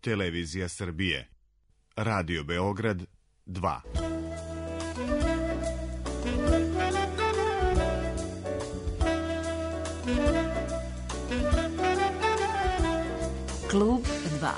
Televizija Srbije. Radio Beograd 2. Klub 2.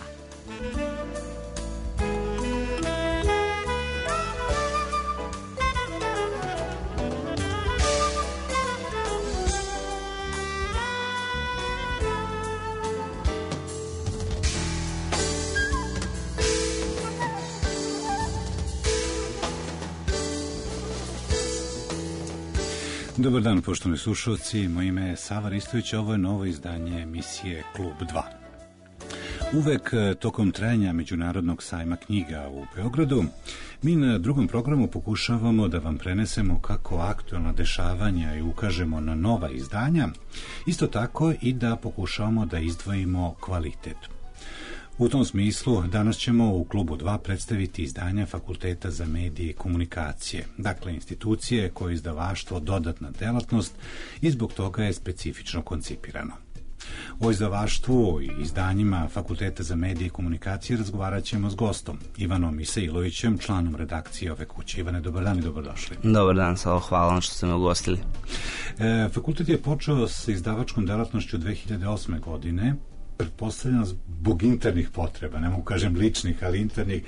Dobar dan, poštovani slušalci, moje ime je Sava Ristović, ovo je novo izdanje emisije Klub 2. Uvek tokom trajanja Međunarodnog sajma knjiga u Beogradu, mi na drugom programu pokušavamo da vam prenesemo kako aktualna dešavanja i ukažemo na nova izdanja, isto tako i da pokušavamo da izdvojimo kvalitet. U tom smislu, danas ćemo u Klubu 2 predstaviti izdanja Fakulteta za medije i komunikacije, dakle institucije koje je izdavaštvo dodatna delatnost i zbog toga je specifično koncipirano. O izdavaštvu i izdanjima Fakulteta za medije i komunikacije razgovarat ćemo s gostom, Ivanom Isailovićem, članom redakcije ove kuće. Ivane, dobar dan i dobrodošli. Dobar dan, Savo, hvala vam što ste me ugostili. Fakultet je počeo sa izdavačkom delatnošću 2008. godine, pretpostavljam zbog internih potreba, ne mogu kažem ličnih, ali internih,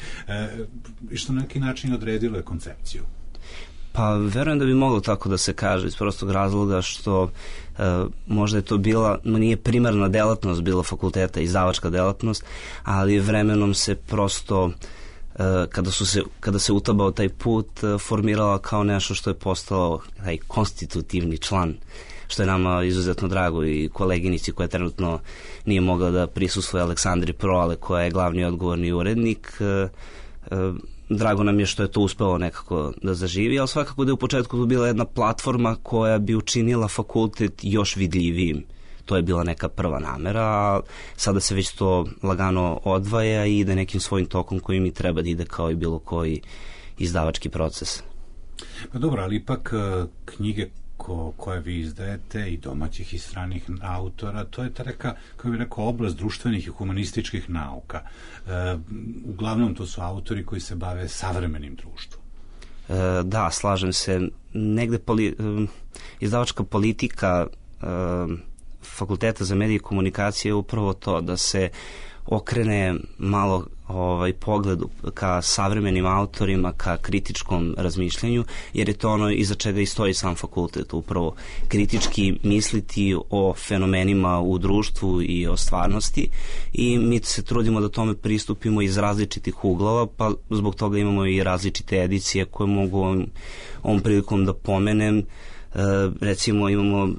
i što na neki način odredilo je koncepciju. Pa verujem da bi moglo tako da se kaže iz prostog razloga što možda je to bila, nije primarna delatnost bila fakulteta, izdavačka delatnost, ali vremenom se prosto kada se utabao taj put formirala kao nešto što je postao taj konstitutivni član, što je nama izuzetno drago, i koleginici koja trenutno nije mogla da prisustvuje, Aleksandri Proale, koja je glavni odgovorni urednik. Drago nam je što je to uspelo nekako da zaživi, ali svakako da je u početku to bila jedna platforma koja bi učinila fakultet još vidljivijim. To je bila neka prva namera, a sada se već to lagano odvaja i ide nekim svojim tokom koji mi treba da ide kao i bilo koji izdavački proces. Pa dobro, ali ipak knjige koje vi izdajete i domaćih i stranih autora, to je ta neka, kako bih rekao, oblast društvenih i humanističkih nauka. Uglavnom to su autori koji se bave savremenim društvom. Da, slažem se. Negde izdavačka politika Fakulteta za medije i komunikacije je upravo to, da se okrene malo pogledu ka savremenim autorima, ka kritičkom razmišljanju, jer je to ono iza čega i stoji sam fakultet, upravo kritički misliti o fenomenima u društvu i o stvarnosti, i mi se trudimo da tome pristupimo iz različitih uglova, pa zbog toga imamo i različite edicije koje mogu ovom prilikom da pomenem. Recimo imamo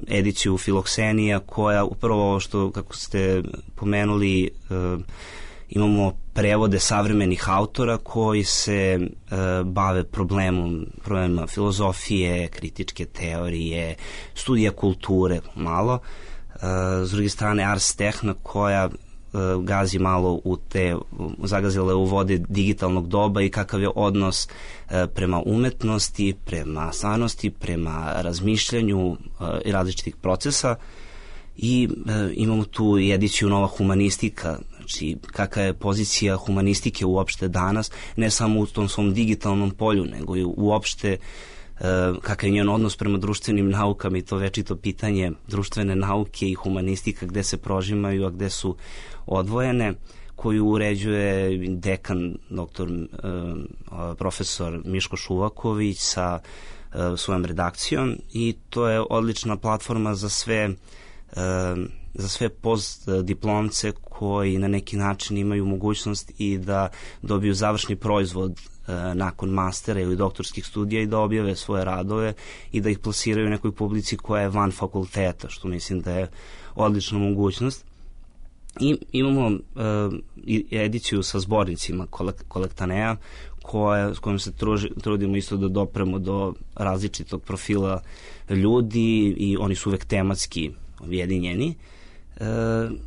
ediciju Filoksenija, koja upravo što, kako ste pomenuli, imamo prevode savremenih autora koji se bave problemima filozofije, kritičke teorije, studija kulture malo. S druge strane Ars Techna, koja gazi malo zagazila je u vode digitalnog doba i kakav je odnos prema umetnosti, prema stvarnosti, prema razmišljanju i različitih procesa. I imamo tu i ediciju Nova humanistika, znači kakva je pozicija humanistike uopšte danas, ne samo u tom svom digitalnom polju, nego i uopšte kakav je njen odnos prema društvenim naukama, i to večito pitanje društvene nauke i humanistika, gde se prožimaju, a gde su odvojene, koju uređuje dekan, profesor Miško Šuvaković sa svojom redakcijom, i to je odlična platforma za sve postdiplomce koji na neki način imaju mogućnost i da dobiju završni proizvod nakon mastera ili doktorskih studija i da objave svoje radove i da ih plasiraju u nekoj publici koja je van fakulteta, što mislim da je odlična mogućnost. I imamo ediciju sa zbornicima Kolektanea, s kojom se trudimo isto da dopremo do različitog profila ljudi, i oni su uvek tematski objedinjeni.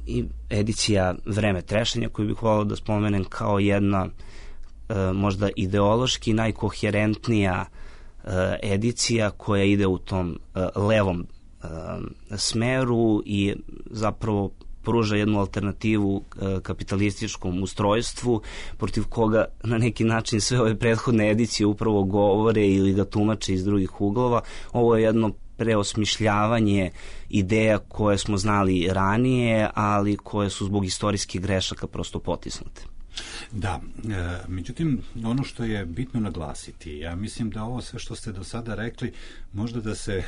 I edicija Vreme trešenja, koju bih volao da spomenem kao jedna možda ideološki najkoherentnija edicija koja ide u tom levom smeru i zapravo pruža jednu alternativu kapitalističkom ustrojstvu, protiv koga na neki način sve ove prethodne edicije upravo govore ili ga tumače iz drugih uglova. Ovo je jedno preosmišljavanje ideja koje smo znali ranije, ali koje su zbog istorijskih grešaka prosto potisnute. Da, međutim, ono što je bitno naglasiti, ja mislim da ovo sve što ste do sada rekli, možda da se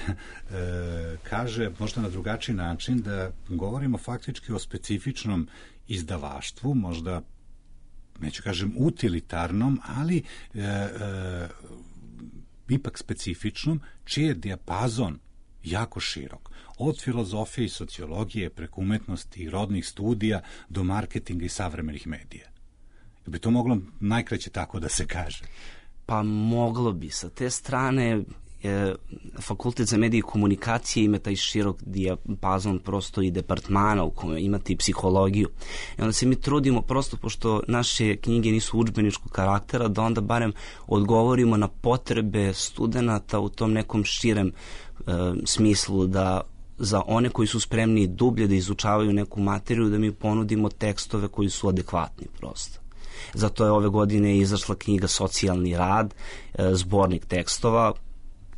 kaže možda na drugačiji način, da govorimo faktički o specifičnom izdavaštvu, možda, neću kažem utilitarnom, ali ipak specifičnom, čiji je dijapazon jako širok. Od filozofije i sociologije, preko umetnosti i rodnih studija do marketinga i savremenih medija. Bi to moglo najkraće tako da se kaže? Pa moglo bi. Sa te strane Fakultet za medije i komunikacije ima taj širok dijapazon prosto i departmana u kome imate i psihologiju. I onda se mi trudimo prosto, pošto naše knjige nisu udžbeničkog karaktera, da onda barem odgovorimo na potrebe studenata u tom nekom širem smislu, da za one koji su spremni dublje da izučavaju neku materiju, da mi ponudimo tekstove koji su adekvatni prosto. Zato je ove godine izašla knjiga Socijalni rad, zbornik tekstova.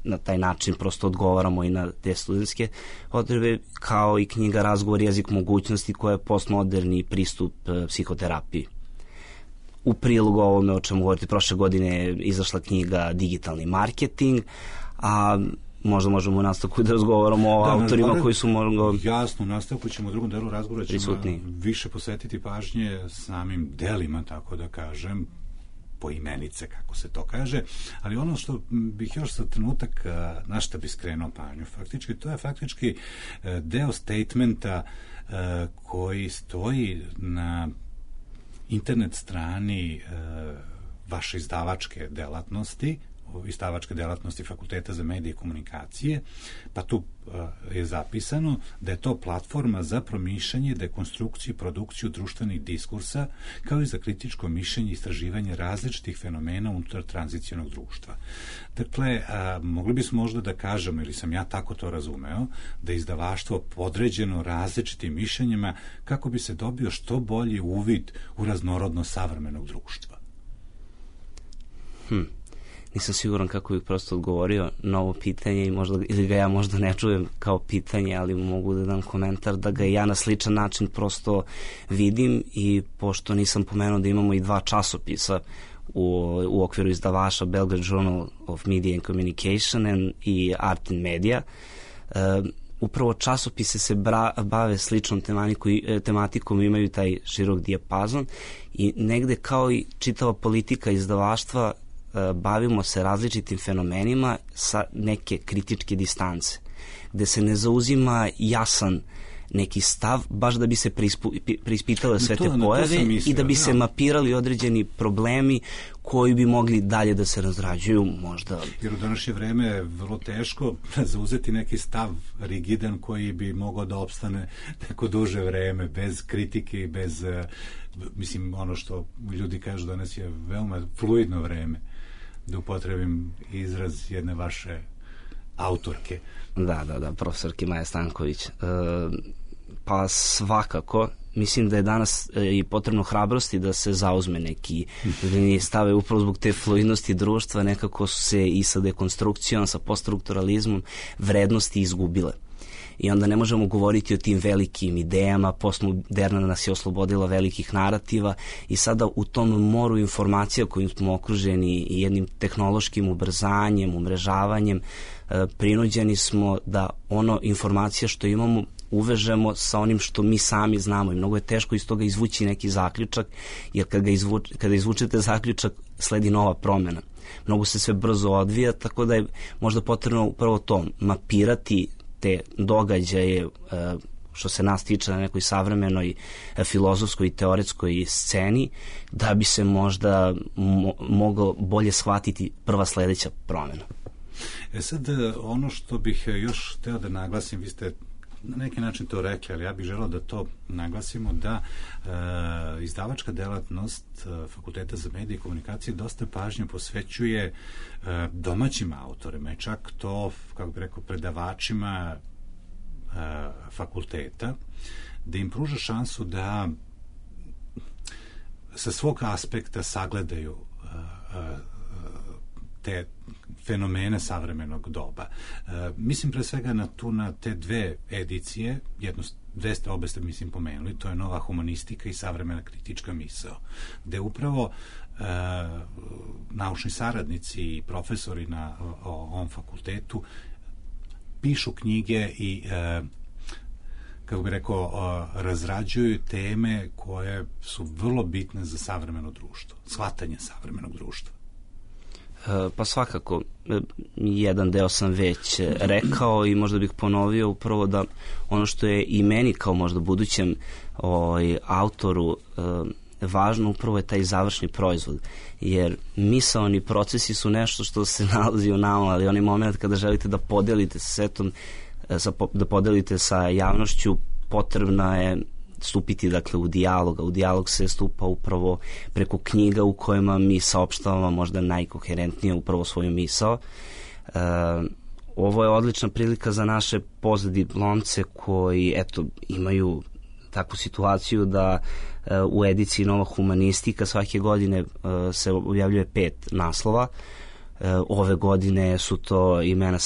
Na taj način prosto odgovaramo i na te studentske potrebe, kao i knjiga Razgovor, jezik mogućnosti, koja je postmoderni pristup psihoterapiji. U prilogu ovome o čemu govorite, prošle godine je izašla knjiga Digitalni marketing, a možda možemo u nastavku da razgovaramo o autorima koji su jasno, u nastavku ćemo u drugom delu razgovora više posvetiti pažnje samim delima, tako da kažem, poimenice, kako se to kaže, ali ono što bih još za trenutak na šta bi skrenuo pažnju, faktički, to je faktički deo statementa koji stoji na internet strani vaše izdavačke delatnosti Fakulteta za medije i komunikacije, pa tu je zapisano da je to platforma za promišljanje, dekonstrukciju i produkciju društvenih diskursa, kao i za kritičko mišljenje i istraživanje različitih fenomena unutar tranzicionog društva. Dakle, mogli bismo možda da kažemo, ili sam ja tako to razumeo, da je izdavaštvo podređeno različitim mišljenjima kako bi se dobio što bolji uvid u raznorodnost savremenog društva. Nisam siguran kako bih prosto odgovorio na ovo pitanje ili ga ja možda ne čujem kao pitanje, ali mogu da dam komentar da ga ja na sličan način prosto vidim, i pošto nisam pomenuo da imamo i 2 časopisa u okviru izdavaša, Belgrade Journal of Media and Communication i Art and Media, upravo časopise se bave sličnom tematikom, imaju taj širok dijapazon i negde kao i čitava politika izdavaštva bavimo se različitim fenomenima sa neke kritičke distance, gde se ne zauzima jasan neki stav, baš da bi se preispitale sve te pojave i da bi se mapirali određeni problemi koji bi mogli dalje da se razrađuju možda. Jer u današnje vreme je vrlo teško zauzeti neki stav rigidan koji bi mogao da opstane neko duže vreme, bez kritike i bez, mislim, ono što ljudi kažu danas je veoma fluidno vreme, da upotrebim izraz jedne vaše autorke. Da, profesorke Maja Stanković. Pa svakako, mislim da je danas i potrebno hrabrosti da se zauzme neki stave upravo zbog te fluidnosti društva, nekako su se i sa dekonstrukcijom, sa poststrukturalizmom vrednosti izgubile. I onda ne možemo govoriti o tim velikim idejama, postmoderna nas je oslobodila velikih narativa i sada u tom moru informacija kojim smo okruženi i jednim tehnološkim ubrzanjem, umrežavanjem, prinuđeni smo da ono informacija što imamo uvežemo sa onim što mi sami znamo i mnogo je teško iz toga izvući neki zaključak, jer kada izvučete zaključak sledi nova promjena. Mnogo se sve brzo odvija, tako da je možda potrebno upravo to, mapirati te događaje što se nas tiče na nekoj savremenoj filozofskoj i teoretskoj sceni, da bi se možda moglo bolje shvatiti prva sledeća promjena. Sad, ono što bih još hteo da naglasim, vi ste na neki način to rekli, ali ja bih želeo da to naglasimo, da izdavačka delatnost Fakulteta za medije i komunikacije dosta pažnje posvećuje domaćim autorima i čak to, kako bih rekao, predavačima fakulteta. da im pruža šansu da sa svog aspekta sagledaju te fenomene savremenog doba. Mislim pre svega na te dve edicije, obe ste mislim pomenuli, to je Nova humanistika i Savremena kritička misao, gde upravo naučni saradnici i profesori na ovom fakultetu pišu knjige i kako bih rekao, razrađuju teme koje su vrlo bitne za savremeno društvo, shvatanje savremenog društva. Pa svakako, jedan deo sam već rekao i možda bih ponovio upravo da ono što je i meni kao možda budućem autoru važno upravo je taj završni proizvod, jer misaoni procesi su nešto što se nalazi u nama, ali onaj moment kada želite da podelite sa svetom, da podelite sa javnošću, potrebno je stupiti dakle u dijalog, a u dijalog se stupa upravo preko knjiga u kojima mi saopštavamo možda najkoherentnije upravo svoju misao. Ovo je odlična prilika za naše postdiplomce koji imaju takvu situaciju da u ediciji Nova humanistika svake godine se objavljuje 5 naslova. Ove godine su to imena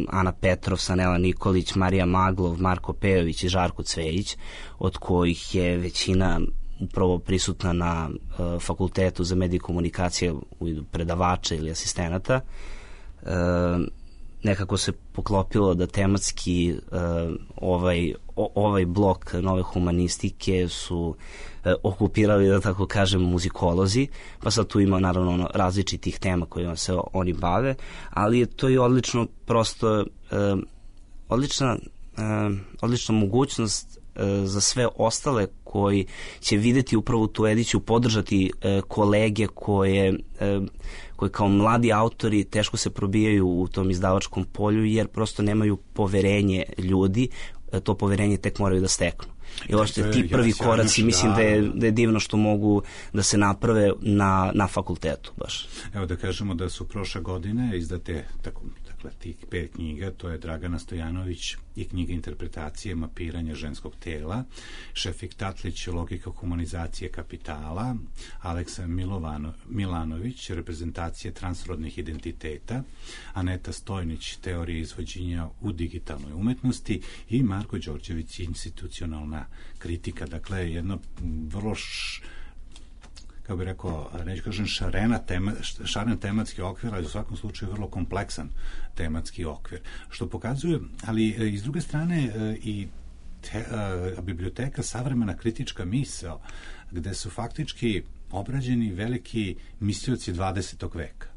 Ana Petrov, Sanela Nikolić, Marija Maglov, Marko Pejović i Žarko Cvejić, od kojih je većina upravo prisutna na Fakultetu za medije i komunikacije u vidu predavača ili asistenata. Nekako se poklopilo da tematski ovaj blok Nove humanistike su okupirali, da tako kažem, muzikolozi, pa sad tu ima naravno različitih tema kojima se oni bave, ali je to i odlično prosto odlična mogućnost za sve ostale koji će videti upravo tu ediciju, podržati kolege koje kao mladi autori teško se probijaju u tom izdavačkom polju jer prosto nemaju poverenje ljudi, to poverenje tek moraju da steknu. I uopšte ti prvi koraci mislim da je divno što mogu da se naprave na fakultetu baš. Evo da kažemo da su prošle godine izdate tih 5 knjiga, to je Dragana Stojanović i knjiga interpretacije mapiranja ženskog tela, Šefik Tatlić, Logika humanizacije kapitala, Aleksa Milanović, Reprezentacije transrodnih identiteta, Aneta Stojnić, Teorija izvođenja u digitalnoj umetnosti i Marko Đorđević, Institucionalna kritika. Dakle, jedno vrlo kako bih rekao, neću kažem šaren tematski okvir, ali u svakom slučaju vrlo kompleksan tematski okvir. Što pokazuje, ali iz druge strane i biblioteka Savremena kritička misao, gde su faktički obrađeni veliki mislioci 20. veka.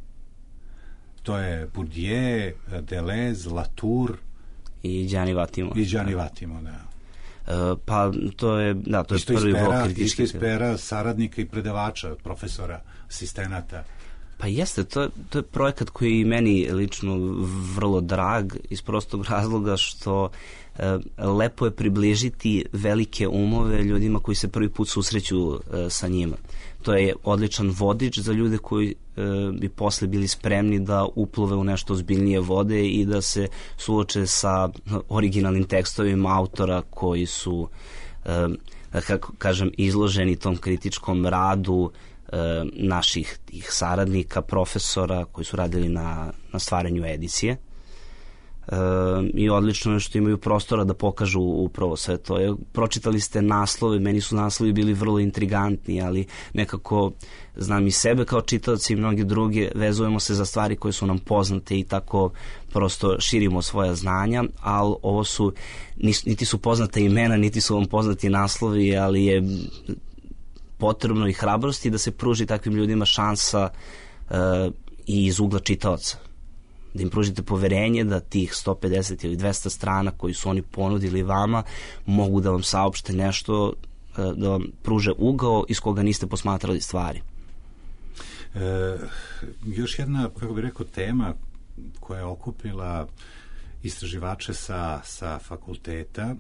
To je Bourdieu, Deleuze, Latour i Gianni Vattimo, da. Pa to je prvi blok kritički. Isto iz pera saradnika i predavača, profesora, asistenata. Pa jeste, to je projekat koji je i meni lično vrlo drag iz prostog razloga što lepo je približiti velike umove ljudima koji se prvi put susreću sa njima. To je odličan vodič za ljude koji bi posle bili spremni da uplove u nešto ozbiljnije vode i da se suoče sa originalnim tekstovima autora koji su, kako kažem, izloženi tom kritičkom radu naših tih saradnika, profesora koji su radili na stvaranju edicije. I odlično je što imaju prostora da pokažu upravo sve to. Pročitali ste naslove, meni su naslovi bili vrlo intrigantni, ali nekako znam i sebe kao čitaoci i mnogi drugi, vezujemo se za stvari koje su nam poznate i tako prosto širimo svoja znanja, ali ovo su, niti su poznata imena, niti su vam poznati naslovi, ali je potrebno i hrabrosti da se pruži takvim ljudima šansa i iz ugla čitaoca. Da im pružite poverenje da tih 150 ili 200 strana koji su oni ponudili vama mogu da vam saopšte nešto, da vam pruže ugao iz koga niste posmatrali stvari. Još jedna, kako bih rekao, tema koja je okupila istraživače sa fakulteta,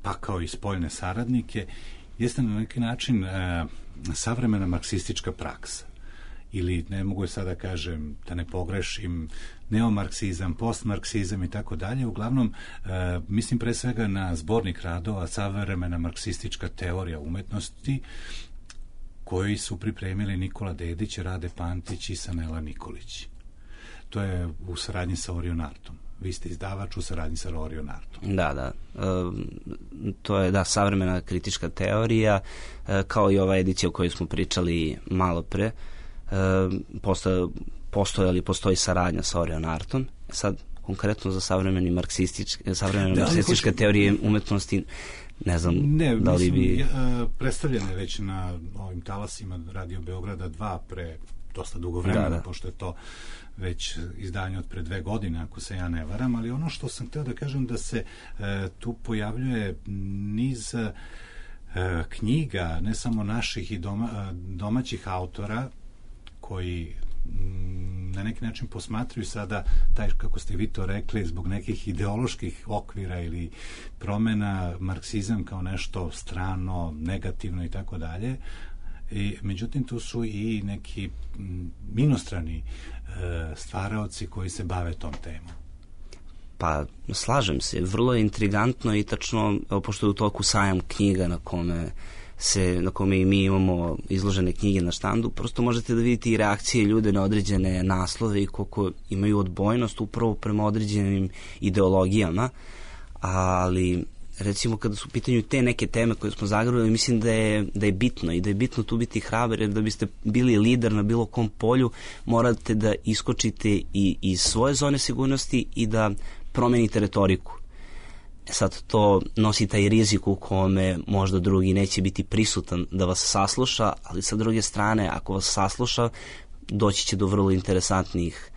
pa kao i spoljne saradnike, jeste na neki način savremena marksistička praksa. ili ne mogu sada kažem, da ne pogrešim, neomarksizam, postmarksizam i tako dalje. Uglavnom, mislim pre svega na zbornik radova Savremena marksistička teorija umetnosti, koji su pripremili Nikola Dedić, Rade Pantić i Sanela Nikolić. To je u saradnji sa Orionartom. Vi ste izdavač u saradnji sa Orionartom. Da. To je, savremena kritička teorija, kao i ova edicija o kojoj smo pričali malo pre. Postoji saradnja sa Orionartom. Sad, konkretno za savremene marksističke teorije umetnosti, ne znam da li bi... predstavljene već na ovim talasima Radio Beograda 2 pre dosta dugo vremena, pošto je to već izdanje od pre 2 godine, ako se ja ne varam, ali ono što sam hteo da kažem da se tu pojavljuje niz knjiga, ne samo naših i domaćih autora, koji na neki način posmatruju sada taj, kako ste vi to rekli, zbog nekih ideoloških okvira ili promena marksizam kao nešto strano, negativno i tako dalje. Međutim, tu su i neki inostrani stvaraoci koji se bave tom temom. Pa, slažem se. Vrlo je intrigantno i tačno, pošto je u toku sajam knjiga na kome i mi imamo izložene knjige na štandu, prosto možete da vidite i reakcije ljude na određene naslove i koliko imaju odbojnost upravo prema određenim ideologijama, ali recimo kada su u pitanju te neke teme koje smo zagrali, mislim da je bitno i da je bitno tu biti hrabar, jer da biste bili lider na bilo kom polju, morate da iskočite i iz svoje zone sigurnosti i da promenite retoriku. Sad to nosi taj rizik u kome možda drugi neće biti prisutan da vas sasluša, ali sa druge strane, ako vas sasluša, doći će do vrlo interesantnih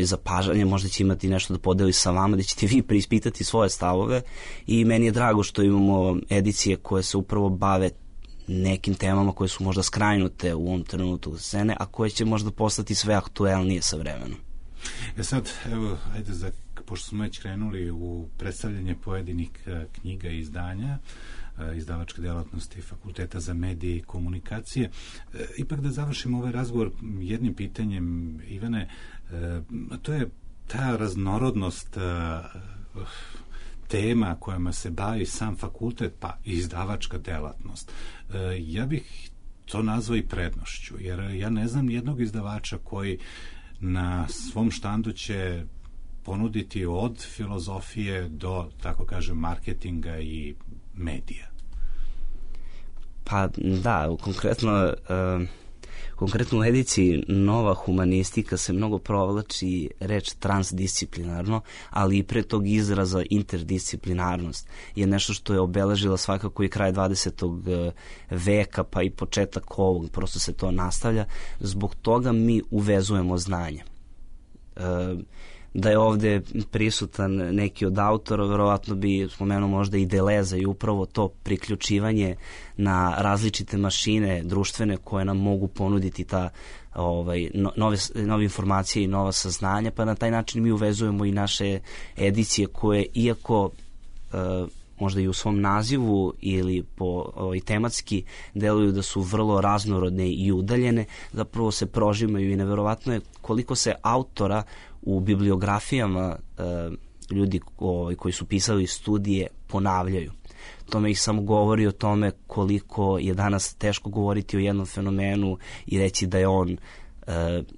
zapažanja, možda će imati nešto da podeli sa vama, da ćete vi preispitati svoje stavove, i meni je drago što imamo edicije koje se upravo bave nekim temama koje su možda skrajnute u ovom trenutku scene, a koje će možda postati sve aktuelnije sa vremenom. Sad, evo, ajde, pošto smo već krenuli u predstavljanje pojedinih knjiga i izdanja izdavačke delatnosti Fakulteta za medije i komunikacije, ipak da završimo ovaj razgovor jednim pitanjem, Ivane, a to je ta raznorodnost tema kojima se bavi sam fakultet, pa i izdavačka delatnost. Ja bih to nazvao i prednošću, jer ja ne znam jednog izdavača koji na svom štandu će ponuditi od filozofije do, tako kažem, marketinga i medija. Pa da, konkretno u ediciji Nova humanistika se mnogo provlači reč transdisciplinarno, ali i pre tog izraza interdisciplinarnost je nešto što je obeležila svakako i kraj 20. veka, pa i početak ovog, prosto se to nastavlja. Zbog toga mi uvezujemo znanje. Da je ovde prisutan neki od autora, verovatno bi spomenuo možda i Deleza, i upravo to priključivanje na različite mašine društvene koje nam mogu ponuditi ta nove informacije i nova saznanja, pa na taj način mi uvezujemo i naše edicije koje, iako možda i u svom nazivu ili tematski deluju da su vrlo raznorodne i udaljene, zapravo se prožimaju, i neverovatno je koliko se autora u bibliografijama ljudi koji su pisali studije ponavljaju. Tome ih samo govori o tome koliko je danas teško govoriti o jednom fenomenu i reći da je on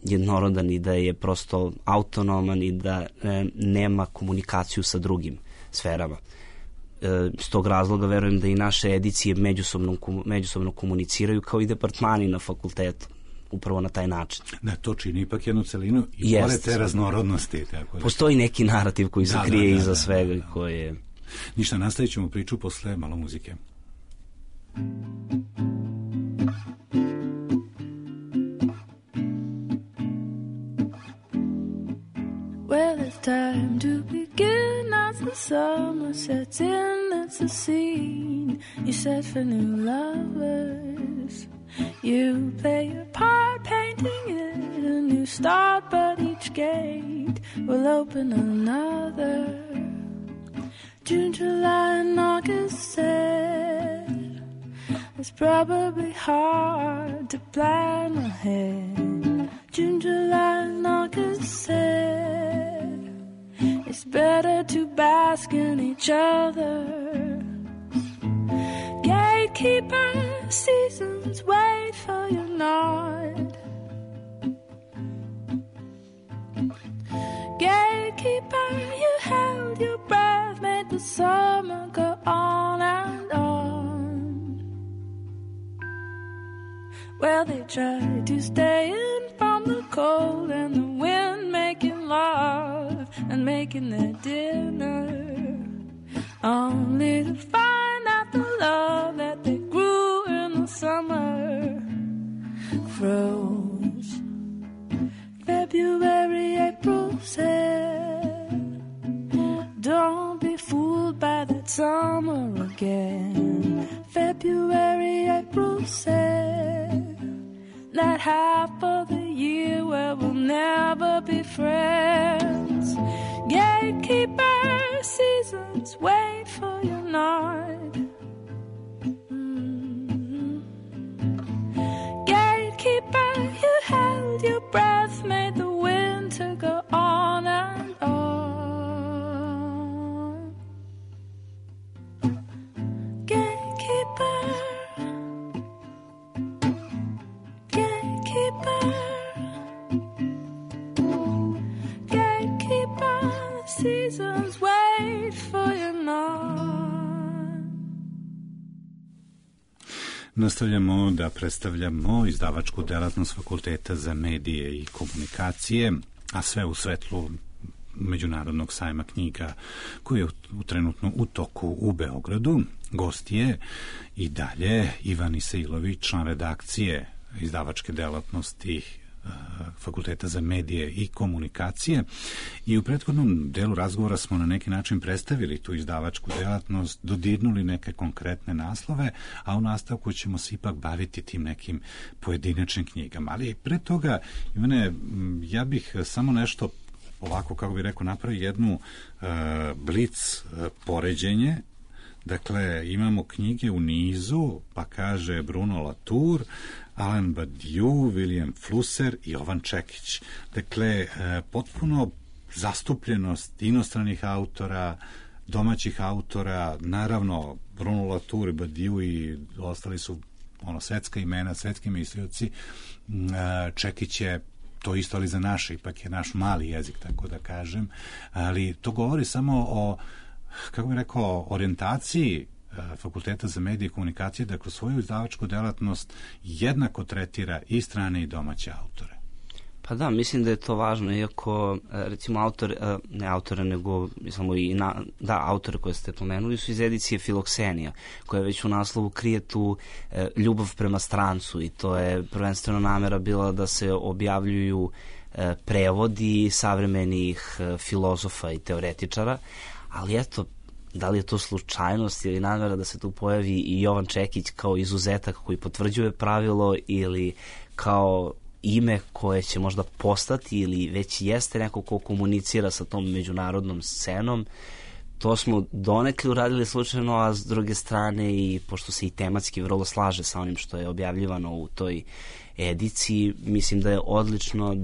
jednorodan i da je prosto autonoman i da nema komunikaciju sa drugim sferama. S tog razloga verujem da i naše edicije međusobno komuniciraju kao i departmani na fakultetu, upravo na taj način. Da, to čini ipak jednu celinu i pored te raznorodnosti. Tako da. Postoji neki narativ koji se krije iza svega. Koje... Ništa, nastavit ćemo priču posle malo muzike. Well, it's time to begin as the summer sets in. It's a scene you set for new lovers. You play your part, painting it a new start, but each gate will open another. June, July, and August said it's probably hard to plan ahead. June, July, and August said it's better to bask in each other. Gatekeeper seasons wait for your nod. Gatekeeper, you held your breath, made the summer go on and on. Well, they tried to stay in from the cold and the wind, making love and making their dinner, only to find out the love that they grew in the summer froze. February, April said, don't be fooled by that summer again. February, April said, that half of the year where we'll never be friends. Gatekeeper seasons wait for your nod. Gatekeeper, you held your breath, made the winter go on and on. Gatekeeper, gatekeeper, gatekeeper, seasons wait for your nod. Nastavljamo da predstavljamo izdavačku delatnost Fakulteta za medije i komunikacije, a sve u svetlu Međunarodnog sajma knjiga koji je trenutno u toku u Beogradu. Gost je i dalje Ivan Isailović, član redakcije izdavačke delatnosti Fakulteta za medije i komunikacije, i u prethodnom delu razgovora smo na neki način predstavili tu izdavačku delatnost, dodirnuli neke konkretne naslove, a u nastavku ćemo se ipak baviti tim nekim pojedinačnim knjigama. Ali pre toga, Ivane, ja bih samo nešto ovako, kako bih rekao, napravio jednu blic poređenje. Dakle, imamo knjige u nizu, pa kaže Bruno Latour, Alain Badiou, William Flusser i Jovan Čekić. Dakle, potpuno zastupljenost inostranih autora, domaćih autora, naravno Bruno Latour, Badiou i ostali su svetska imena, svetski mislioci. Čekić je to isto, ali za naše, ipak je naš mali jezik, tako da kažem, ali to govori samo o, kako bih rekao, orijentaciji Fakulteta za medije i komunikacije, da kroz svoju izdavačku delatnost jednako tretira i strane i domaće autore. Pa da, mislim da je to važno, iako recimo autore koje ste pomenuli su iz edicije Filoksenija, koja već u naslovu krije tu ljubav prema strancu, i to je prvenstveno namera bila da se objavljuju prevodi savremenih filozofa i teoretičara, ali eto, da li je to slučajnost ili namera da se tu pojavi i Jovan Čekić kao izuzetak koji potvrđuje pravilo, ili kao ime koje će možda postati ili već jeste neko ko komunicira sa tom međunarodnom scenom. To smo donekle uradili slučajno, a s druge strane, i pošto se i tematski vrlo slaže sa onim što je objavljivano u toj ediciji, mislim da je odlično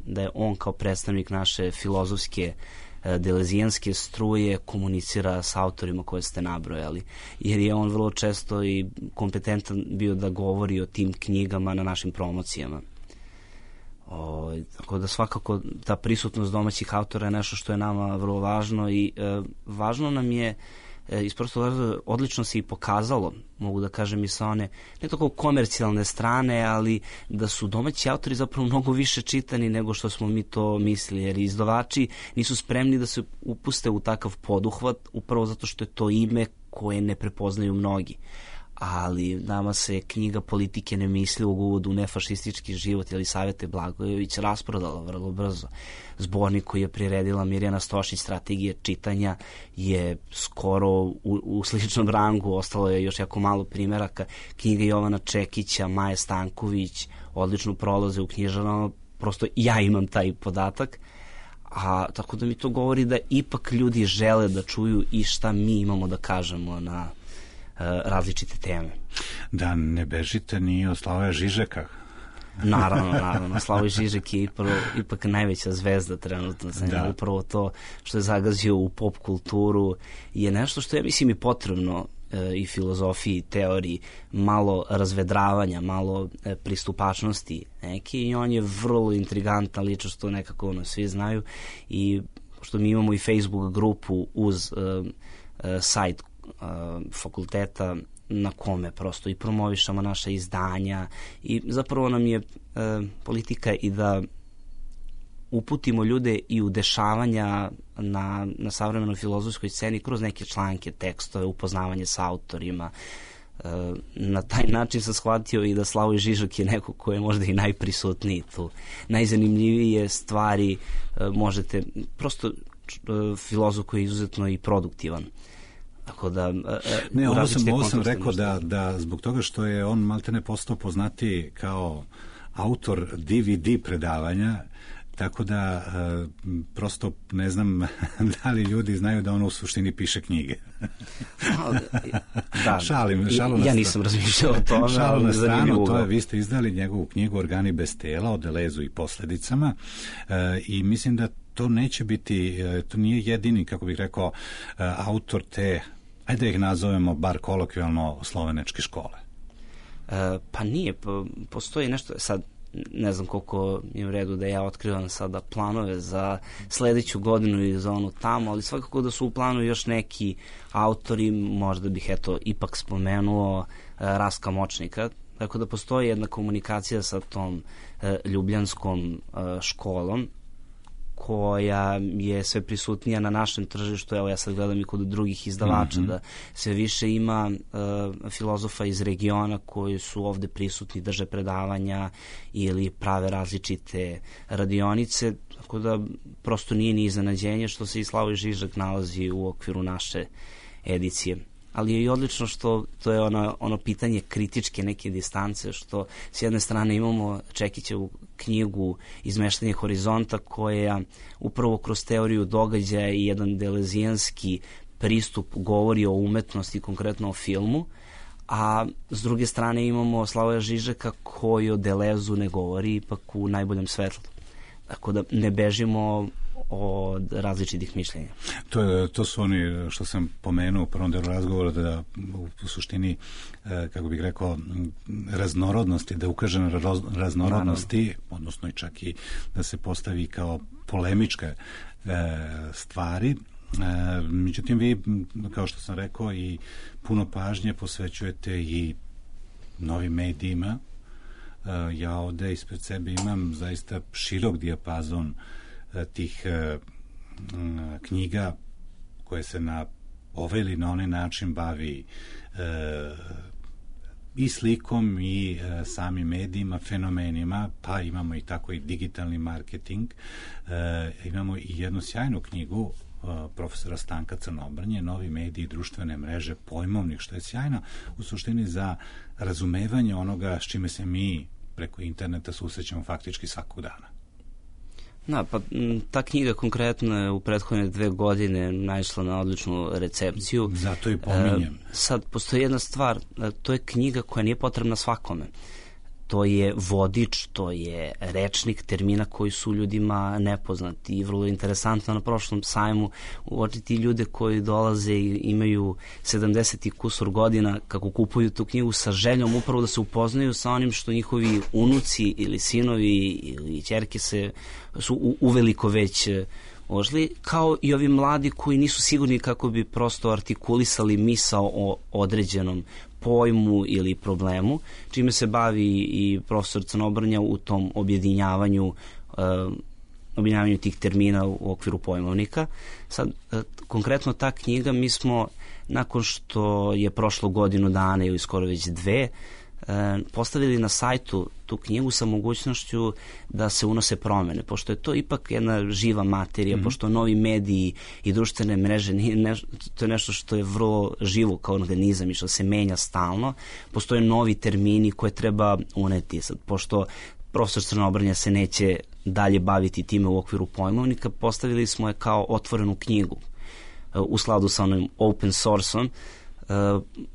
da je on kao predstavnik naše filozofske delezijanske struje komunicira s autorima koje ste nabrojali, jer je on vrlo često i kompetentan bio da govori o tim knjigama na našim promocijama. Tako da svakako ta prisutnost domaćih autora je nešto što je nama vrlo važno, i važno nam je isprosto odlično se i pokazalo, mogu da kažem, i sa one ne tako komercijalne strane, ali da su domaći autori zapravo mnogo više čitani nego što smo mi to mislili, jer izdavači nisu spremni da se upuste u takav poduhvat, upravo zato što je to ime koje ne prepoznaju mnogi. Ali nama se knjiga Politike nemislivog uvoda u nefašistički život Jelisavete Blagojević rasprodala vrlo brzo. Zbornik koji je priredila Mirjana Stošić, Strategije čitanja, je skoro u sličnom rangu, ostalo je još jako malo primeraka. Knjiga Jovana Čekića, Maje Stanković odlično prolaze u knjižarama, prosto ja imam taj podatak. Tako da mi to govori da ipak ljudi žele da čuju i šta mi imamo da kažemo na različite teme. Da ne bežite ni od Slavoja Žižeka. Naravno. Slavoj Žižek je ipak najveća zvezda trenutno. Upravo to što je zagazio u pop kulturu je nešto što je, mislim, i potrebno i filozofiji, teoriji, malo razvedravanja, malo pristupačnosti neki, i on je vrlo intrigantan ličnost, što nekako svi znaju, i što mi imamo i Facebook grupu uz sajt fakulteta na kome prosto i promovišamo naša izdanja, i zapravo nam je politika i da uputimo ljude i u dešavanja na savremenoj filozofskoj sceni kroz neke članke, tekstove, upoznavanje sa autorima. Na taj način sam shvatio i da Slavoj Žižek je neko ko je možda i najprisutniji tu. Najzanimljivije stvari možete, prosto filozof koji je izuzetno i produktivan. Tako da, ovo sam rekao da zbog toga što je on maltene postao poznatiji kao autor DVD predavanja, tako da prosto ne znam da li ljudi znaju da on u suštini piše knjige. Da, šalim ja nisam razmišljao o tome. Šalu na stranu, vi ste izdali njegovu knjigu Organi bez tela, o Delezu i posledicama, i mislim da to neće biti, to nije jedini, kako bih rekao, autor te, ajde da ih nazovemo bar kolokvijalno, slovenačke škole. Pa nije, postoji nešto, sad ne znam koliko je u redu da ja otkrivam sada planove za sledeću godinu i za onu tamo, ali svakako da su u planu još neki autori, možda bih ipak spomenuo Raska Močnika, tako da postoji jedna komunikacija sa tom ljubljanskom školom koja je sve prisutnija na našem tržištu. Evo, ja sad gledam i kod drugih izdavača da sve više ima filozofa iz regiona koji su ovde prisutni, drže predavanja ili prave različite radionice, tako da prosto nije ni iznenađenje što se i Slavoj Žižek nalazi u okviru naše edicije. Ali je i odlično što to je ono pitanje kritičke neke distance, što s jedne strane imamo Čekićevu knjigu Izmeštanje horizonta, koja upravo kroz teoriju događaja i jedan delezijanski pristup govori o umetnosti, konkretno o filmu, a s druge strane imamo Slavoja Žižeka koji o Delezu ne govori, ipak u najboljem svetlu. Tako da ne bežimo od različitih mišljenja. To su oni što sam pomenuo u prvom delu razgovora, da u suštini, kako bih rekao, raznorodnosti, da ukaže na raznorodnosti, odnosno i čak i da se postavi kao polemičke stvari. Međutim, vi, kao što sam rekao, i puno pažnje posvećujete i novim medijima. Ja ovde ispred sebe imam zaista širok dijapazon tih knjiga koje se na ovaj ili na onaj način bavi i slikom i samim medijima, fenomenima, pa imamo i tako i digitalni marketing. Imamo i jednu sjajnu knjigu profesora Stanka Crnobrnje, Novi mediji i društvene mreže, pojmovnik, što je sjajno u suštini za razumevanje onoga s čime se mi preko interneta susrećemo faktički svakog dana. Da, pa ta knjiga konkretno je u prethodne 2 godine naišla na odličnu recepciju. Zato i pominjem. Sad, postoji jedna stvar, to je knjiga koja nije potrebna svakome. To je vodič, to je rečnik termina koji su ljudima nepoznati, i vrlo interesantno na prošlom sajmu uočiti ljude koji dolaze i imaju 70 i kusur godina kako kupuju tu knjigu sa željom upravo da se upoznaju sa onim što njihovi unuci ili sinovi ili ćerke su uveliko već ožili, kao i ovi mladi koji nisu sigurni kako bi prosto artikulisali misao o određenom pojmu ili problemu, čime se bavi i profesor Crnobrnja u tom objedinjavanju tih termina u okviru pojmovnika. Sad, konkretno ta knjiga, mi smo, nakon što je prošlo godinu dana ili skoro već 2, postavili na sajtu tu knjigu sa mogućnošću da se unose promene, pošto je to ipak jedna živa materija, pošto novi mediji i društvene mreže, to je nešto što je vrlo živo kao organizam i što se menja stalno, postoje novi termini koje treba uneti. Sad, pošto profesor Crnobrnja se neće dalje baviti time u okviru pojmovnika, postavili smo je kao otvorenu knjigu u skladu sa onim open source-om,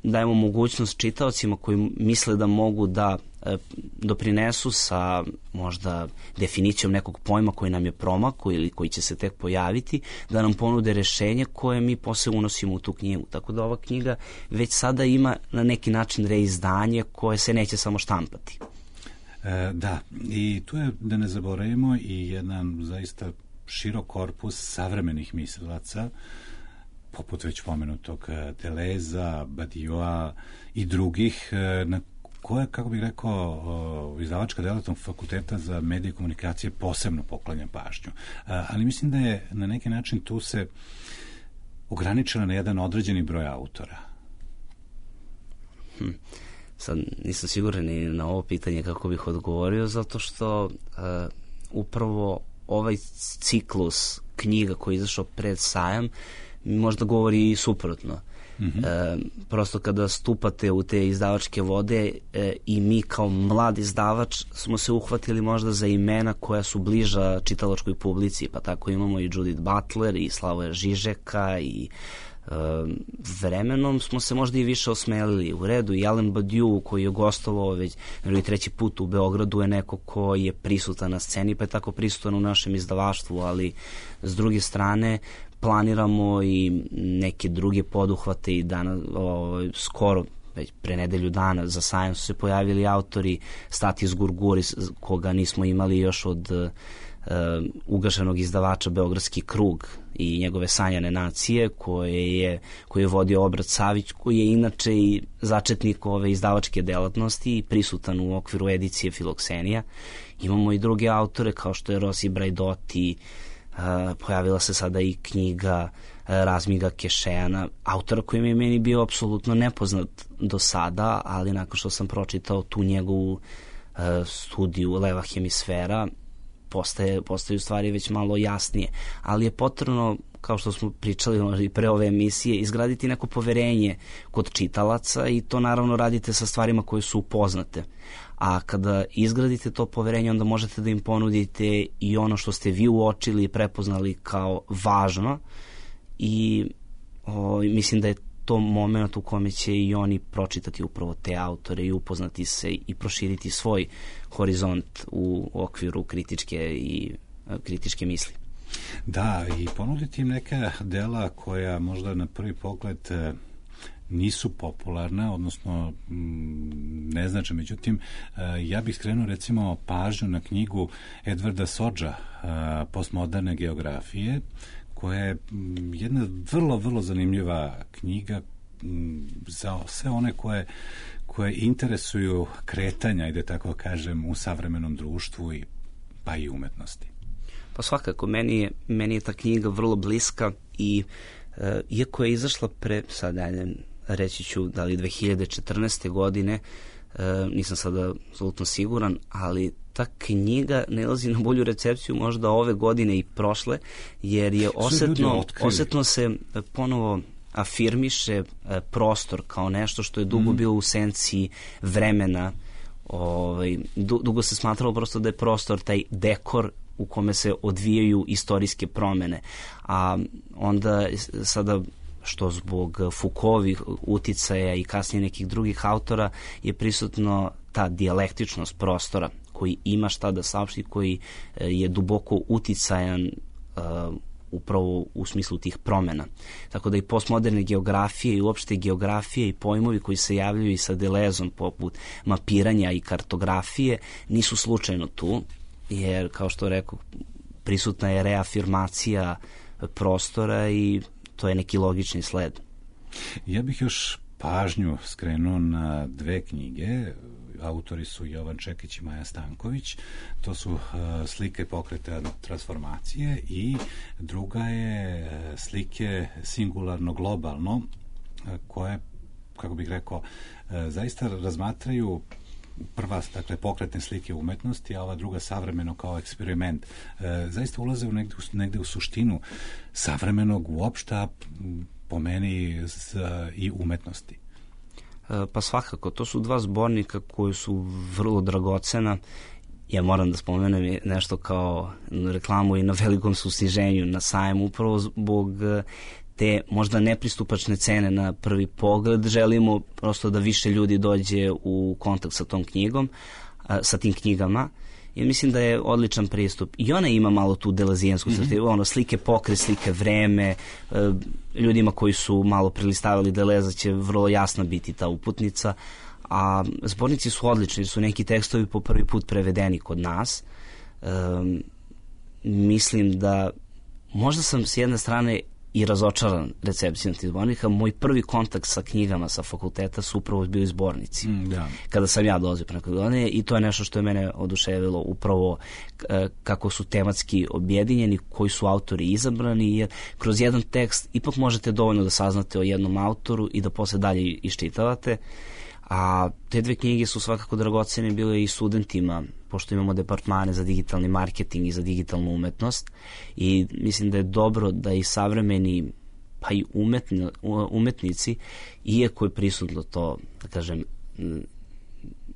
dajemo mogućnost čitaocima koji misle da mogu da doprinesu sa možda definicijom nekog pojma koji nam je promakao ili koji će se tek pojaviti, da nam ponude rešenje koje mi posle unosimo u tu knjigu. Tako da ova knjiga već sada ima na neki način reizdanje koje se neće samo štampati. Da, i tu je, da ne zaboravimo, i jedan zaista širok korpus savremenih mislilaca, poput već pomenutog Deleza, Badiua i drugih, na koje, kako bih rekao, izdavačka delatnost Fakulteta za medije i komunikacije posebno poklanja pažnju. Ali mislim da je na neki način tu se ograničila na jedan određeni broj autora. Sad nisam siguran ni na ovo pitanje kako bih odgovorio, zato što upravo ovaj ciklus knjiga koji je izašao pred sajam možda govori i suprotno. Prosto kada stupate u te izdavačke vode i mi kao mlad izdavač smo se uhvatili možda za imena koja su bliža čitalačkoj publici, pa tako imamo i Judith Butler i Slavoja Žižeka i vremenom smo se možda i više osmelili. U redu, i Alain Badiou koji je gostovao već treći put u Beogradu je neko ko je prisutan na sceni, pa je tako prisutan u našem izdavaštvu, ali s druge strane planiramo i neke druge poduhvate i danas, skoro već pre nedelju dana za sajam su se pojavili autori Statis Gurguris, koga nismo imali još od ugašenog izdavača Beogradski krug i njegove Sanjane nacije koje je vodio Obrat Savić, koji je inače i začetnik ove izdavačke delatnosti i prisutan u okviru edicije Filoksenija. Imamo i druge autore kao što je Rosi Brajdoti, pojavila se sada i knjiga Razmiga Kešejana, autora koji mi je meni bio apsolutno nepoznat do sada, ali nakon što sam pročitao tu njegovu studiju Leva hemisfera, postaje u stvari već malo jasnije, ali je potrebno, kao što smo pričali i pre ove emisije, izgraditi neko poverenje kod čitalaca i to naravno radite sa stvarima koje su upoznate. A kada izgradite to poverenje, onda možete da im ponudite i ono što ste vi uočili i prepoznali kao važno i mislim da je to moment u kome će i oni pročitati upravo te autore i upoznati se i proširiti svoj horizont u okviru kritičke misli. Da, i ponuditi im neka dela koja možda na prvi pogled nisu popularna, odnosno ne znače. Međutim, ja bih skrenuo recimo pažnju na knjigu Edvarda Sodža, Postmoderne geografije, koja je jedna vrlo, vrlo zanimljiva knjiga za sve one koje interesuju kretanja, i da tako kažem, u savremenom društvu pa i umetnosti. Pa svakako, meni je ta knjiga vrlo bliska i iako je izašla reći ću da li 2014. godine, nisam sada apsolutno siguran, ali ta knjiga nalazi na bolju recepciju možda ove godine i prošle, jer je osetno se ponovo afirmiše prostor kao nešto što je dugo bilo u senci vremena. Dugo se smatralo prosto da je prostor taj dekor u kome se odvijaju istorijske promene, a onda sada, što zbog Foucaultovih uticaja i kasnije nekih drugih autora, je prisutno ta dijalektičnost prostora koji ima šta da saopšti, koji je duboko uticajan upravo u smislu tih promena. Tako da i postmoderne geografije i uopšte geografije i pojmovi koji se javljaju i sa Delezom, poput mapiranja i kartografije, nisu slučajno tu, jer, kao što rekao, prisutna je reafirmacija prostora i to je neki logični sled. Ja bih još pažnju skrenuo na dve knjige. Autori su Jovan Čekić i Maja Stanković. To su Slike pokreta transformacije i druga je Slike singularno globalno, koje, kako bih rekao, zaista razmatraju prva, dakle, pokretne slike umetnosti, a ova druga savremeno kao eksperiment. Zaista ulaze negde u suštinu savremenog uopšta, po meni, i umetnosti. Pa svakako, to su dva zbornika koji su vrlo dragocena. Ja moram da spomenem nešto kao reklamu i na velikom susniženju na sajmu, upravo zbog te možda nepristupačne cene na prvi pogled, želimo prosto da više ljudi dođe u kontakt sa tom knjigom, sa tim knjigama. I mislim da je odličan pristup. I ona ima malo tu delezijensku slike pokre, slike vreme, ljudima koji su malo prelistavali Deleza će vrlo jasno biti ta uputnica, a zbornici su odlični, su neki tekstovi po prvi put prevedeni kod nas. Mislim da možda sam s jedne strane i razočaran recepcijom tih zbornika. Moj prvi kontakt sa knjigama sa fakulteta su upravo bili zbornici. Kada sam ja dolazio pre nekoliko godine, i to je nešto što je mene oduševilo, upravo kako su tematski objedinjeni, koji su autori izabrani, jer kroz jedan tekst ipak možete dovoljno da saznate o jednom autoru i da posle dalje iščitavate. A te dve knjige su svakako dragocene bile i studentima, pošto imamo departmane za digitalni marketing i za digitalnu umetnost, i mislim da je dobro da i savremeni, pa i umetnici, iako je prisutno to, da kažem,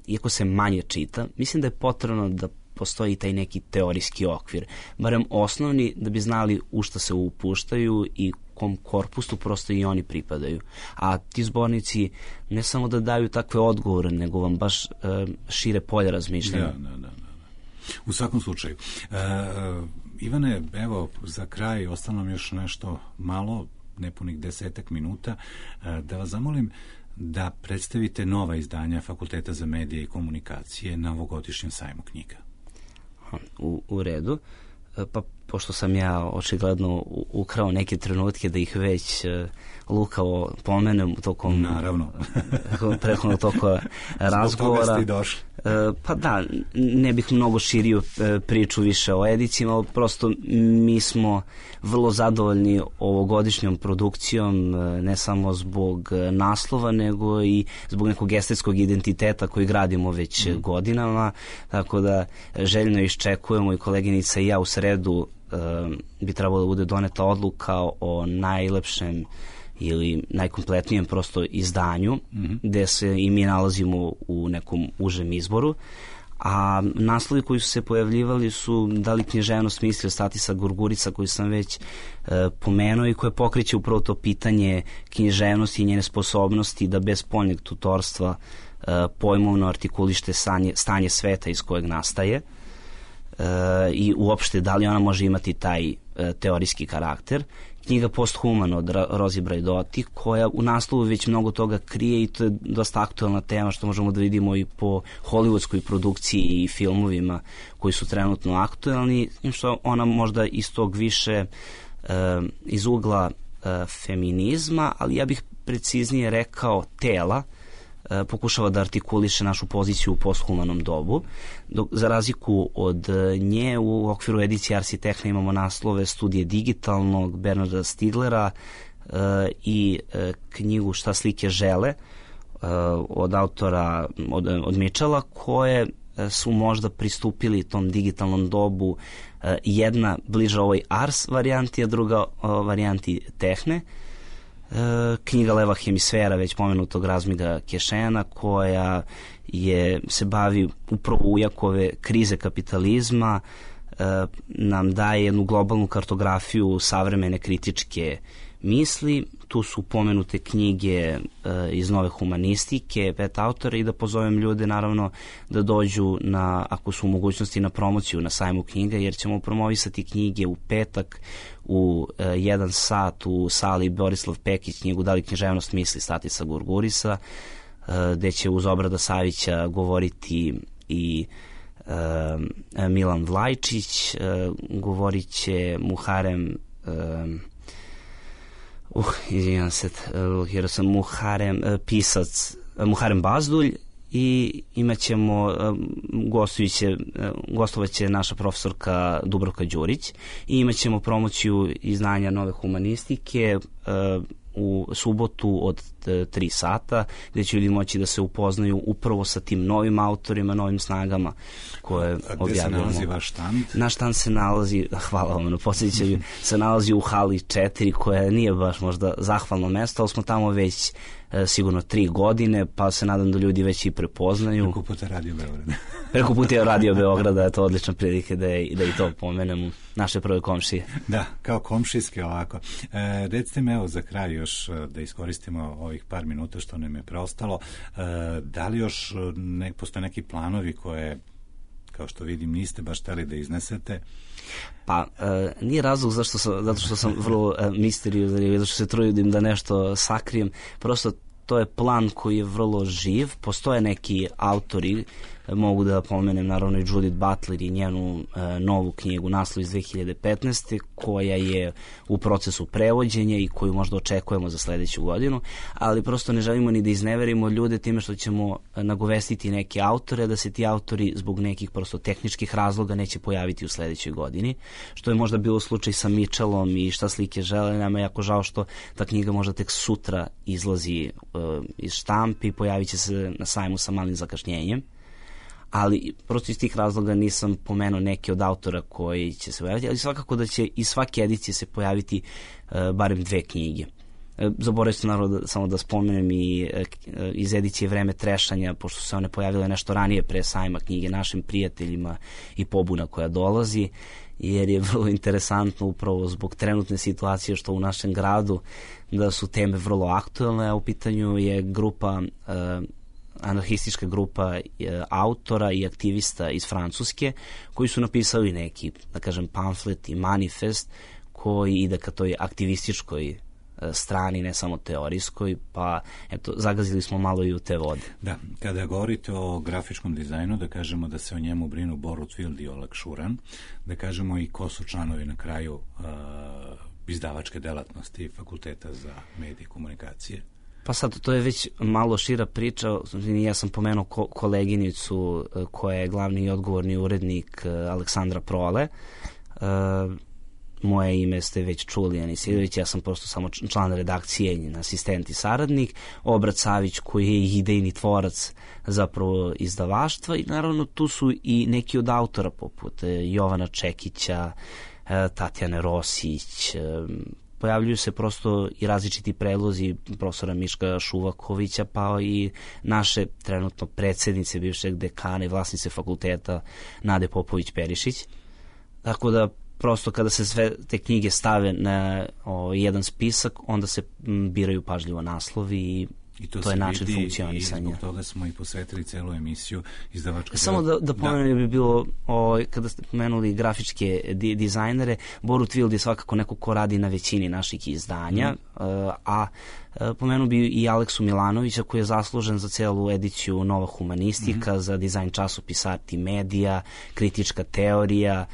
iako se manje čita, mislim da je potrebno da postoji taj neki teorijski okvir, barem osnovni, da bi znali u šta se upuštaju i kom korpusu prosto i oni pripadaju. A ti zbornici ne samo da daju takve odgovore, nego vam baš šire polje razmišljanja. Da. U svakom slučaju. Ivane, evo, za kraj ostalo nam još nešto malo, nepunih 10 minuta, da vas zamolim da predstavite nova izdanja Fakulteta za medije i komunikacije na ovogodišnjem sajmu knjiga. U redu. Pa pošto sam ja očigledno ukrao neke trenutke da ih već lukavo pomenem tokom naravno prethodnog toka razgovora. Zbog toga ste i došli. Pa da, ne bih mnogo širio priču više o edicijama, prosto mi smo vrlo zadovoljni ovogodišnjom produkcijom, ne samo zbog naslova, nego i zbog nekog estetskog identiteta koji gradimo već godinama, tako da željno iščekujemo, i koleginica i ja u sredu bi trebalo da bude doneta odluka o najlepšem ili najkompletnijem prosto izdanju, gde se i mi nalazimo u nekom užem izboru, a naslovi koji su se pojavljivali su da li književnost misli o Statisa Gurgurica, koji sam već pomenuo i koje pokreće upravo to pitanje književnosti i njene sposobnosti da bez spoljnjeg tutorstva pojmovno artikulište stanje sveta iz kojeg nastaje, i uopšte da li ona može imati taj teorijski karakter. Knjiga Posthuman od Rozi Brajdotti, koja u naslovu već mnogo toga krije, i to je dosta aktualna tema, što možemo da vidimo i po hollywoodskoj produkciji i filmovima koji su trenutno aktualni, što ona možda iz tog više iz ugla feminizma, ali ja bih preciznije rekao tela, pokušava da artikuliše našu poziciju u posthumanom dobu. Dok, za razliku od nje, u okviru edicije Ars i Techna imamo naslove Studije digitalnog Bernarda Stiglera i knjigu Šta slike žele od autora od Mitchella, koje su možda pristupili tom digitalnom dobu, jedna bliža ovoj Ars varijanti, a druga varijanti Techne. Knjiga Leva hemisfera, već pomenutog Razmiga Kešena, koja se bavi upravo ujakove krize kapitalizma, nam daje jednu globalnu kartografiju savremene kritičke misli. Tu su pomenute knjige iz nove humanistike, 5 autora, i da pozovem ljude naravno da dođu ako su u mogućnosti, na promociju na sajmu knjiga, jer ćemo promovisati knjige u petak u 1 sat u sali Borislav Pekić, knjigu Da li književnost misli Statisa Gurgurisa, gde će uz Obrada Savića govoriti i Milan Vlajčić, govorit će Muharem izvinjam se, blokirao sam pisac Muharem Bazdulj, i imat ćemo gostovaće naša profesorka Dubravka Đurić, i imat ćemo promociju izdanja nove humanistike u subotu od 3 sata, gde će ljudi moći da se upoznaju upravo sa tim novim autorima, novim snagama koje objavljamo. Gde se nalazi vaš štand? Naš štand se nalazi, hvala vam na podsjećanju, se nalazi u hali 4, koja nije baš možda zahvalno mesto, ali smo tamo već sigurno 3 godine, pa se nadam da ljudi već i prepoznaju. Preko puta Radio Beograda. Preko puta Radio Beograda, je to odlična prilike da i to pomenem, naše prve komšije. Da, kao komšijske ovako. Recite me, evo za kraj još da iskoristimo ovih par minuta što nam je preostalo, da li još postoje neki planovi koje, kao što vidim, niste baš hteli da iznesete? Pa, nije razlog zato što sam vrlo misteriozan, zato što se trudim da nešto sakrijem, prosto to je plan koji je vrlo živ, postoje neki autori, mogu da pomenem naravno i Judith Butler i njenu novu knjigu Naslov iz 2015. koja je u procesu prevođenja i koju možda očekujemo za sledeću godinu, ali prosto ne želimo ni da izneverimo ljude time što ćemo nagovestiti neke autore, da se ti autori zbog nekih prosto tehničkih razloga neće pojaviti u sledećoj godini, što je možda bilo slučaj sa Mitchellom i Šta slike žele. Nama je jako žao što ta knjiga možda tek sutra izlazi iz štampi i pojavit će se na sajmu sa malim zakašnjenjem. Ali prosto iz tih razloga nisam pomenuo neke od autora koji će se pojaviti, ali svakako da će iz svake edicije se pojaviti barem 2 knjige. Zaboravio sam naravno samo da spomenem i iz edicije Vreme trešanja, pošto se one pojavile nešto ranije pre sajma knjige Našim prijateljima i pobuna koja dolazi, jer je vrlo interesantno upravo zbog trenutne situacije što u našem gradu da su teme vrlo aktuelne, a u pitanju je grupa anarhistička grupa autora i aktivista iz Francuske koji su napisali neki, da kažem, pamflet i manifest koji ide ka toj aktivističkoj strani, ne samo teorijskoj, pa eto, zagazili smo malo i u te vode. Da, kada govorite o grafičkom dizajnu, da kažemo da se o njemu brinu Borut Wild i Oleg Šuran, da kažemo i ko su članovi na kraju izdavačke delatnosti Fakulteta za medije i komunikacije. Pa sad, to je već malo šira priča. Ja sam pomenuo koleginicu koja je glavni i odgovorni urednik Aleksandra Prole. Moje ime ste već čuli, Ani Sidović, ja sam prosto samo član redakcije, njen asistent i saradnik. Obrat Savić koji je idejni tvorac zapravo izdavaštva i naravno tu su i neki od autora poput Jovana Čekića, Tatjane Rosić, pojavljuju se prosto i različiti predlozi profesora Miška Šuvakovića, pa i naše trenutno predsednice, bivšeg dekana i vlasnice fakulteta Nade Popović-Perišić. Tako da prosto kada se sve te knjige stave na jedan spisak, onda se biraju pažljivo naslovi i to je način funkcionisanja. I zbog toga smo i posvetili celu emisiju izdavačke. Samo da pomenem bi bilo, kada ste pomenuli grafičke dizajnere, Borut Wild je svakako neko ko radi na većini naših izdanja, a pomenuo bi i Aleksu Milanovića koji je zaslužen za celu ediciju Nova humanistika, za dizajn časopisa Art i medija, kritička teorija.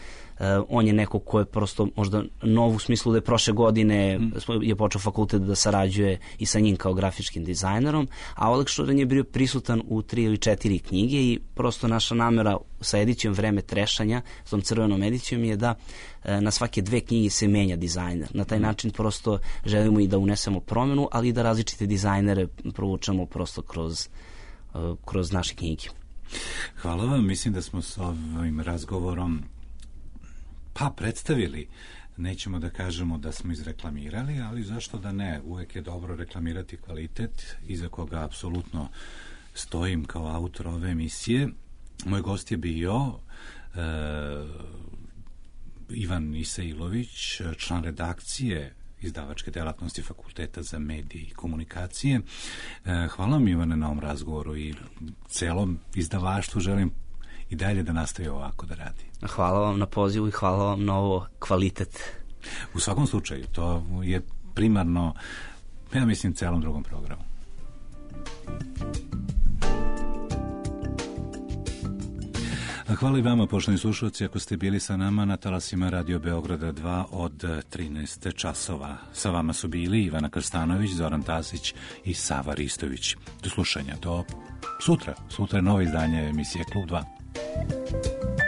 On je neko ko je prosto možda nov u smislu da je prošle godine je počeo fakultet da sarađuje i sa njim kao grafičkim dizajnerom, a Oleg Šuran je bio prisutan u 3 ili 4 knjige i prosto naša namera sa edicijom Vreme trešanja, s tom crvenom edicijom je da na svake 2 knjige se menja dizajner. Na taj način prosto želimo i da unesemo promenu, ali i da različite dizajnere provučemo prosto kroz naše knjige. Hvala vam, mislim da smo s ovim razgovorom predstavili, nećemo da kažemo da smo izreklamirali, ali zašto da ne, uvek je dobro reklamirati kvalitet iza koga apsolutno stojim kao autor ove emisije. Moj gost je bio Ivan Isailović, član redakcije izdavačke delatnosti Fakulteta za medije i komunikacije. Hvala vam, Ivane, na ovom razgovoru i celom izdavaštvu želim i dalje da nastavi ovako da radi. Hvala vam na pozivu i hvala vam na ovo kvalitet. U svakom slučaju, to je primarno, ja mislim, celom drugom programu. Hvala i vama, poštovani slušalci, ako ste bili sa nama na talasima Radio Beograda 2 od 13 časova. Sa vama su bili Ivana Krstanović, Zoran Tasić i Sava Ristović. Do slušanja, do sutra. Sutra je novo izdanje emisije Klub 2.